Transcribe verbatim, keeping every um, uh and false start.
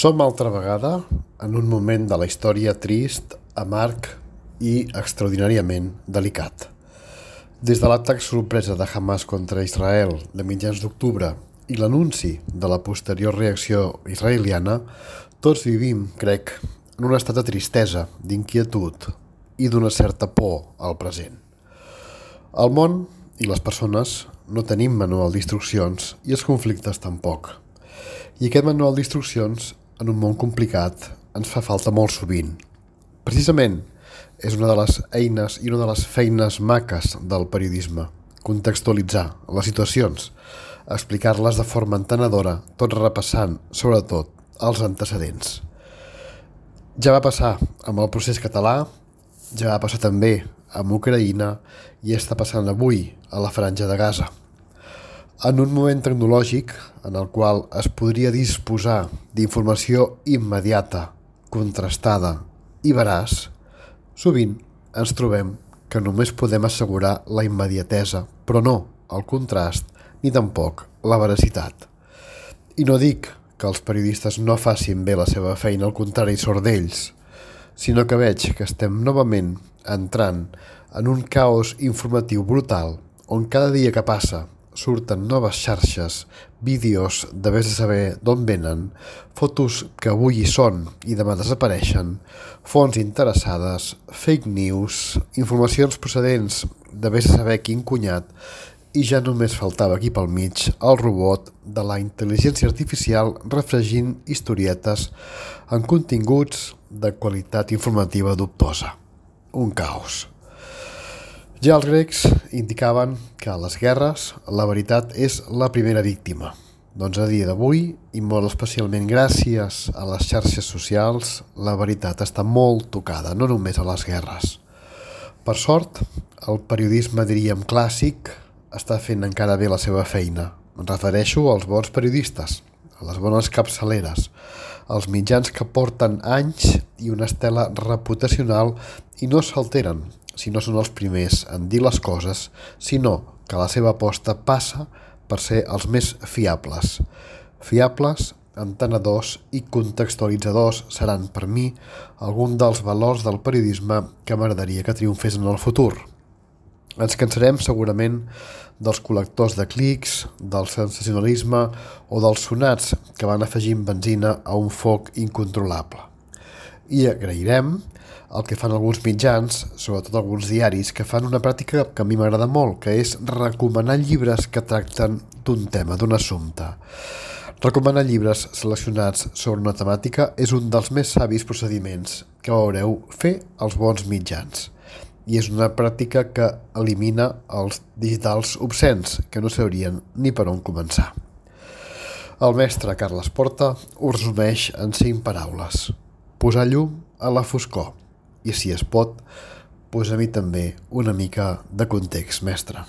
Som altra vegada en un moment de la història trist, amarg i extraordinàriament delicat. Des de l'atac sorpresa de Hamas contra Israel de mitjans d'octubre i l'anunci de la posterior reacció israeliana, tots vivim, crec, en un estat de tristesa, d'inquietud i d'una certa por al present. El món i les persones no tenim manual d'instruccions i els conflictes tampoc. I aquest manual d'instruccions, en un món complicat, ens fa falta molt sovint. Precisament, és una de les eines i una de les feines maques del periodisme, contextualitzar les situacions, explicar-les de forma entenedora, tot repassant, sobretot, els antecedents. Ja va passar amb el procés català, ja va passar també amb Ucraïna i està passant avui a la Franja de Gaza. En un moment tecnològic en el qual es podria disposar d'informació immediata, contrastada i veraç, sovint ens trobem que només podem assegurar la immediatesa, però no el contrast ni tampoc la veracitat. I no dic que els periodistes no facin bé la seva feina, al contrari, sort d'ells, sinó que veig que estem novament entrant en un caos informatiu brutal on cada dia que passa surten noves xarxes, vídeos de vés a saber d'on venen, fotos que avui hi són i demà desapareixen, fonts interessades, fake news, informacions procedents de vés a saber quin cunyat, i ja només faltava aquí pel mig el robot de la intel·ligència artificial refregint historietes en continguts de qualitat informativa dubtosa. Un caos. Ja els grecs indicaven que a les guerres la veritat és la primera víctima. Doncs a dia d'avui, i molt especialment gràcies a les xarxes socials, la veritat està molt tocada, no només a les guerres. Per sort, el periodisme, diríem, clàssic està fent encara bé la seva feina. Em refereixo als bons periodistes, a les bones capçaleres, als mitjans que porten anys i una estela reputacional i no s'alteren si no són els primers en dir les coses, sinó que la seva aposta passa per ser els més fiables. Fiables, entenedors i contextualitzadors seran per mi algun dels valors del periodisme que m'agradaria que triomfés en el futur. Ens cansarem segurament dels col·lectors de clics, del sensacionalisme o dels sonats que van afegint benzina a un foc incontrolable. I agrairem el que fan alguns mitjans, sobretot alguns diaris, que fan una pràctica que a mi m'agrada molt, que és recomanar llibres que tracten d'un tema, d'un assumpte. Recomanar llibres seleccionats sobre una temàtica és un dels més savis procediments que veureu fer els bons mitjans. I és una pràctica que elimina els digitals obscens, que no sabrien ni per on començar. El mestre Carles Porta ho resumeix en cinc paraules. Posar llum a la foscor. I si es pot, posa-m'hi també una mica de context, mestre.